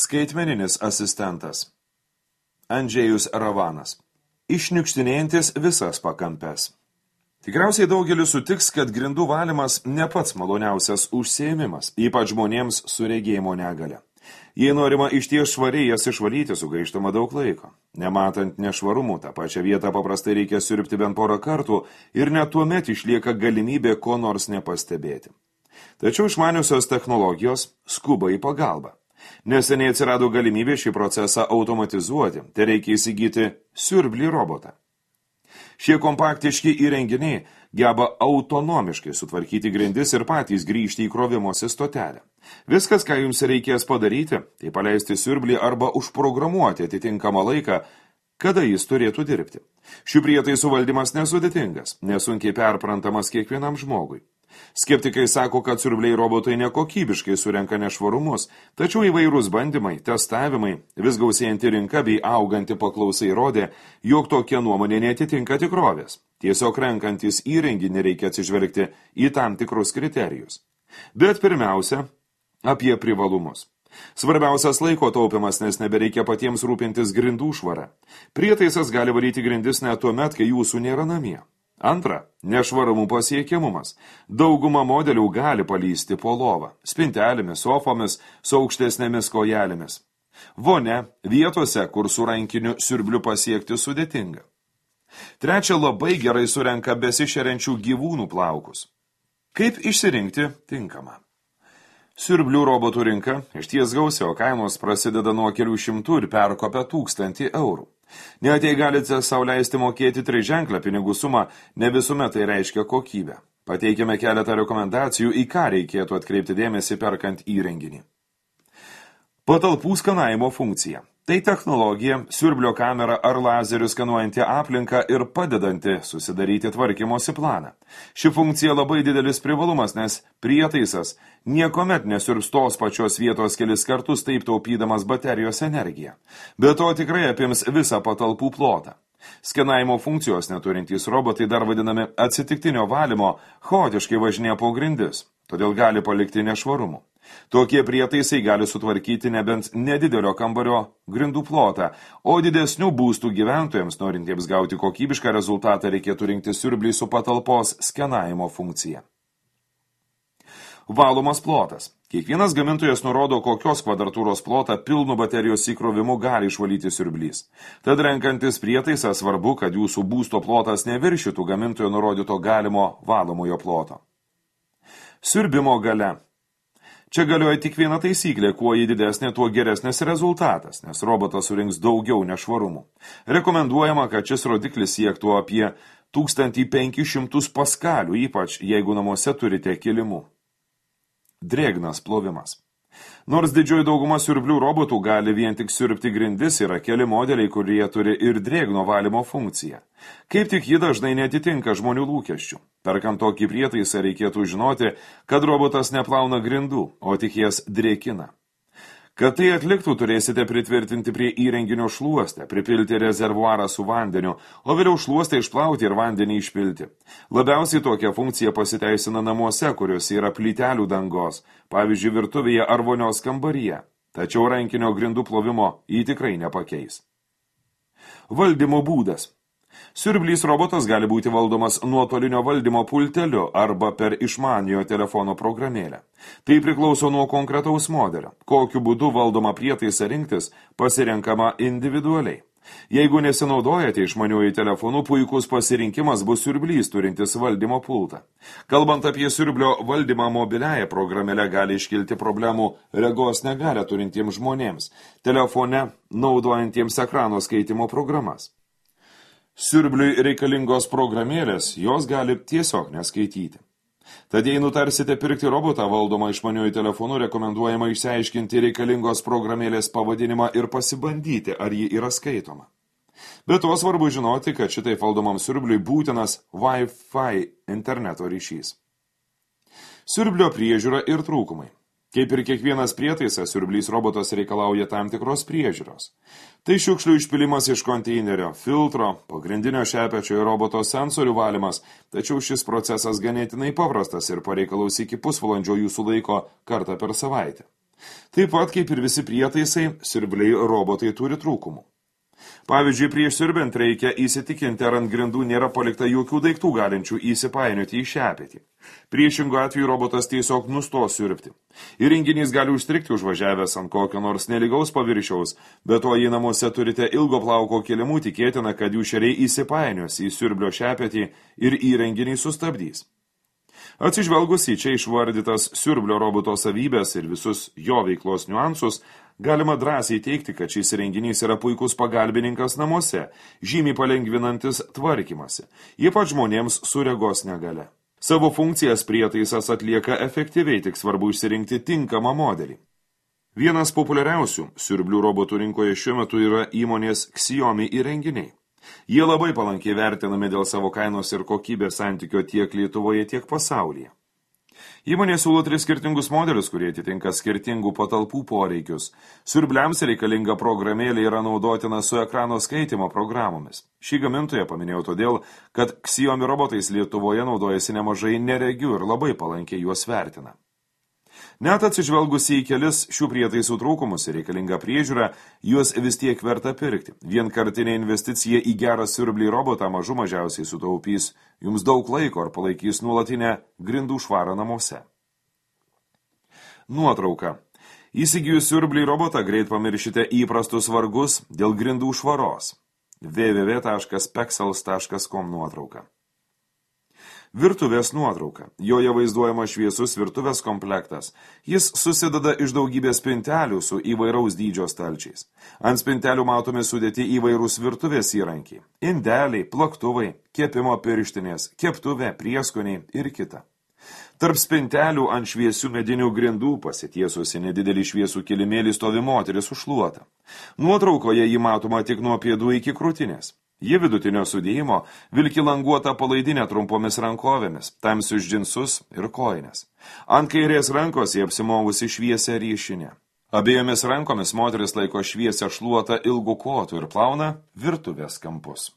Skaitmeninis asistentas. Andžejus Ravanas. Išniukštinėjantis visas pakampes. Tikriausiai daugelis sutiks, kad grindų valymas ne pats maloniausias užsiėmimas, ypač žmonėms su regėjimo negale. Jei norima išties švariai jas išvalyti, sugaištama daug laiko. Nematant nešvarumų, tą pačią vietą paprastai reikia siurbti bent porą kartų ir net tuomet išlieka galimybė ko nors nepastebėti. Tačiau išmaniusios technologijos skuba į pagalbą. Neseniai atsirado galimybė šį procesą automatizuoti, tai reikia įsigyti siurblį robotą. Šie kompaktiški įrenginiai geba autonomiškai sutvarkyti grindis ir patys grįžti į krovimosi stotelę. Viskas, ką jums reikės padaryti, tai paleisti siurblį arba užprogramuoti atitinkamą laiką, kada jis turėtų dirbti. Šių prietaisų valdymas nesudėtingas, nesunkiai perprantamas kiekvienam žmogui. Skeptikai sako, kad siurbliai robotai nekokybiškai surenka nešvarumus, tačiau įvairūs bandymai, testavimai, vis gausėjanti rinka bei auganti paklausai rodė, jog tokia nuomonė neatitinka tikrovės. Tiesiog renkantis įrenginį reikia atsižvelgti į tam tikrus kriterijus. Bet pirmiausia, apie privalumus. Svarbiausias laiko taupimas, nes nebereikia patiems rūpintis grindų švara. Prietaisas gali valyti grindis net tuomet, kai jūsų nėra namie. Antra, nešvarumų pasiekiamumas. Dauguma modelių gali palysti po lovą, spintelėmis, sofomis, su aukštesnėmis kojelėmis. Vonia vietose, kur su rankiniu siurbliu pasiekti sudėtinga. Trečia, labai gerai surenka besišeriančių gyvūnų plaukus. Kaip išsirinkti tinkamą? Siurblių robotų rinka išties gausi, o kainos prasideda nuo kelių šimtų ir perkopia 1000 eurų. Net jei galite sau leisti mokėti triženklę pinigų sumą, ne visuomet tai reiškia kokybę. Pateikime keletą rekomendacijų, į ką reikėtų atkreipti dėmesį perkant įrenginį. Patalpų skanavimo funkcija. Tai technologija, siurblio kamera ar lazerių skanuojanti aplinką ir padedanti susidaryti tvarkymosi planą. Ši funkcija labai didelis privalumas, nes prietaisas niekuomet nesiurbs tos pačios vietos kelis kartus, taip taupydamas baterijos energiją. Be to tikrai apims visą patalpų plotą. Skenavimo funkcijos neturintys robotai, dar vadinami atsitiktinio valymo, chaotiškai važinėja po grindis, todėl gali palikti nešvarumų. Tokie prietaisai gali sutvarkyti nebent nedidelio kambario grindų plotą, o didesnių būstų gyventojams, norintiems gauti kokybišką rezultatą, reikėtų rinkti siurblį su patalpos skenavimo funkcija. Valomas plotas. Kiekvienas gamintojas nurodo, kokios kvadratūros plotą pilnu baterijos įkrovimu gali išvalyti siurblys. Tad renkantis prietaisą svarbu, kad jūsų būsto plotas neviršytų gamintojo nurodyto galimo valomojo ploto. Siurbimo galia. Čia galioja tik viena taisyklė, kuo ji didesnė, tuo geresnis rezultatas, nes robotas surinks daugiau nešvarumų. Rekomenduojama, kad šis rodiklis siektų apie 1500 paskalių, ypač jeigu namuose turite kilimų. Drėgnas plovimas. Nors didžioji dauguma siurblių robotų gali vien tik siurbti grindis, yra keli modeliai, kurie turi ir drėgno valymo funkciją. Kaip tik ji dažnai netitinka žmonių lūkesčių. Perkant tokį prietaisą reikėtų žinoti, kad robotas neplauna grindų, o tik jas drėkina. Kad tai atliktų, turėsite pritvirtinti prie įrenginio šluostę, pripilti rezervuarą su vandeniu, o vėliau šluostę išplauti ir vandenį išpilti. Labiausiai tokia funkcija pasiteisina namuose, kuriuose yra plytelių dangos, pavyzdžiui, virtuvėje ar vonios kambaryje. Tačiau rankinio grindų plovimo jį tikrai nepakeis. Valdymo būdas. Siurblys robotas gali būti valdomas nuotolinio valdymo pulteliu arba per išmaniojo telefono programėlę. Tai priklauso nuo konkretaus modelio. Kokiu būdu valdoma prietaisą rinktis pasirenkama individualiai. Jeigu nesinaudojate išmaniuoju telefonu, puikus pasirinkimas bus siurblys turintis valdymo pultą. Kalbant apie siurblio valdymą mobiliąją programėlę, gali iškilti problemų regos negalią turintiems žmonėms, telefone naudojantiems ekrano skaitimo programas. Siurbliui reikalingos programėlės, jos gali tiesiog neskaityti. Tad jei nutarsite pirkti robotą valdomą išmaniuoju telefonu, rekomenduojama išsiaiškinti reikalingos programėlės pavadinimą ir pasibandyti, ar ji yra skaitoma. Be to svarbu žinoti, kad šitai valdomam siurbliui būtinas Wi-Fi interneto ryšys. Siurblio priežiūra ir trūkumai. Kaip ir kiekvienas prietaisas, siurblys robotas reikalauja tam tikros priežiūros. Tai šiukšlių išpilimas iš konteinerio, filtro, pagrindinio šepečio ir roboto sensorių valymas, tačiau šis procesas ganėtinai paprastas ir pareikalaus iki pusvalandžio jūsų laiko kartą per savaitę. Taip pat, kaip ir visi prietaisai, siurbliai robotai turi trūkumų. Pavyzdžiui, prieš siurbiant reikia įsitikinti, ar ant grindų nėra palikta jokių daiktų galinčių įsipainioti į šepetį. Priešingu atveju robotas tiesiog nustos siurbti. Įrenginys gali užstrikti užvažiavęs ant kokio nors nelygaus paviršiaus, bet to jei namuose turite ilgo plauko kilimų, tikėtina, kad jų šeriai įsipainios į siurblio šepetį ir įrenginį sustabdys. Atsižvelgus į čia išvardytas siurblio roboto savybės ir visus jo veiklos niuansus, galima drąsiai teigti, kad šis įrenginys yra puikus pagalbininkas namuose, žymiai palengvinantis tvarkymasi, ypač žmonėms su regos negale. Savo funkcijas prietaisas atlieka efektyviai, tik svarbu išsirinkti tinkamą modelį. Vienas populiariausių siurblių robotų rinkoje šiuo metu yra įmonės Xiaomi įrenginiai. Jie labai palankiai vertinami dėl savo kainos ir kokybės santykio tiek Lietuvoje, tiek pasaulyje. Įmonė siūlo 3 skirtingus modelius, kurie atitinka skirtingų patalpų poreikius. Siurbliams reikalinga programėlė yra naudotina su ekrano skaitymo programomis. Šį gamintoją paminėjau todėl, kad Xiaomi robotais Lietuvoje naudojasi nemažai neregių ir labai palankiai juos vertina. Net atsižvelgus į kelis šių prietaisų trūkumus ir reikalingą priežiūrą, juos vis tiek verta pirkti. Vienkartinė investicija į gerą siurblį robotą mažų mažiausiai sutaupys jums daug laiko ar palaikys nuolatinę grindų švarą namuose. Nuotrauka. Įsigijus siurblį robotą greit pamiršite įprastus vargus dėl grindų švaros. www.pexels.com nuotrauka. Virtuvės nuotrauka. Joje vaizduojama šviesus virtuvės komplektas. Jis susideda iš daugybės spintelių su įvairaus dydžio stalčiais. Ant spintelių matomi sudėti įvairūs virtuvės įrankiai. Indeliai, plaktuvai, kepimo pirštinės, keptuvė, prieskoniai ir kita. Tarp spintelių ant šviesių medinių grindų pasitiesusi nedidelį šviesų kilimėlį stovi moteris su šluota. Nuotraukoje ji matoma tik nuo pėdų iki krūtinės. Ji vidutinio sudėjimo vilki languotą palaidinę trumpomis rankovėmis, tamsius džinsus ir kojines. Ant kairės rankos jie apsimovusi šviesią ryšinę. Abiejomis rankomis moteris laiko šviesią šluotą ilgų kotų ir plauna virtuvės kampus.